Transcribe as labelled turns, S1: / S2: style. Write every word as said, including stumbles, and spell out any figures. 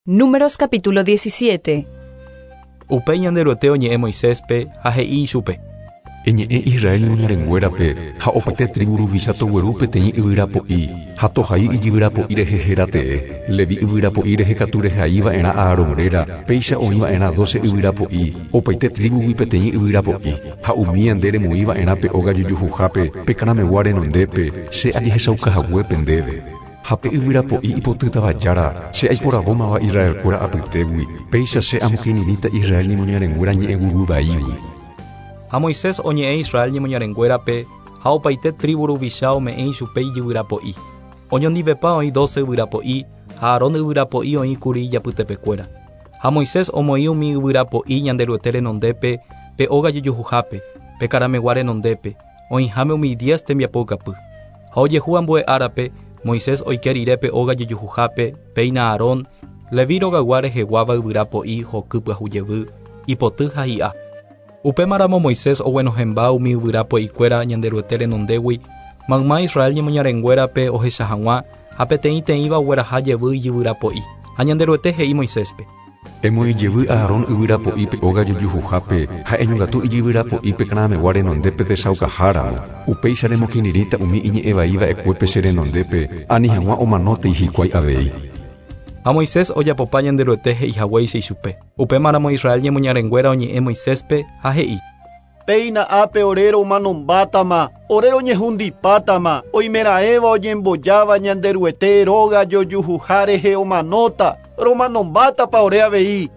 S1: Números capítulo diecisiete.
S2: Upéi Ñanderuete oñe'ẽ Moiséspe ha he'i ichupe.
S3: Eñe'ẽ Israel ñemoñarenguérape ha opaite tribu ruvicha togueru peteĩ yvyrapo'i ha tohai ijyvyrapo'i rehe héra tee. Levi yvyrapo'i rehe katu rehaiva'erã Aarón réra, péicha oĩva'erã doce yvyrapo'i, opaite tribugui peteĩ yvyrapo'i, ha umi nde remoĩva'erã pe óga jojuhuhápe, pe karamegua renondépe, che ajehechaukahaguépe ndéve. Ha pe yvyrapo'i ipotýtava jára, che aiporavómava Israelkuéra apytégui, péicha che amokirirĩta Israel ñemoñarenguéra ñe'ẽguyguy.
S2: Ha Moisés oñe'ẽ Israel ñemoñarenguérape ha opaite tribu ruvicha ome'ẽ ichupe ijyvyrapo'i. Oñondivepa oĩ doce yvyrapo'i ha Aarón yvyrapo'i oĩkuri ijapytepekuéra. Ha Moisés omoĩ umi yvyrapo'i Ñanderuete renondépe pe óga jojuhuhápe, pe karamegua renondépe, oĩháme umi diez tembiapoukapy. Ha ojehu ambue árape, Moisés oike rire pe óga jojuhuhápe, péina Aarón, Levi rogaygua reheguáva yvyrapo'i hoky pyahu jevy, ipoty ha hi'a. Upémaramo Moisés oguenohẽmba umi yvyrapo'ikuéra Ñanderuete renondégui, mayma Israel ñemoñarenguérape ohecha hag̃ua ha peteĩteĩva ogueraha jevy ijyvyrapo'i. Ha Ñanderuete he'i Moiséspe.
S3: Emoĩ jevy Aarón yvyrapo'i pe óga jojuhuhápe ha eñongatu ijyvyrapo'i pe karamegua renondépe techaukaháramo. Upéicha remokirirĩta umi iñe'ẽvaiva'ekuépe che renondépe, ani hag̃ua omanótei hikuái avei.
S2: Ha Moisés ojapopa Ñanderuete he'ihaguéicha ichupe. Upémaramo Israel ñemoñarenguéra oñe'ẽ Moiséspe ha he'i.
S4: Péina ápe ore romanombátama, ore roñehundipátama, oimeraẽva oñembojáva Ñanderuete róga jojuhuha rehe omanóta, romanombátapa ore avei.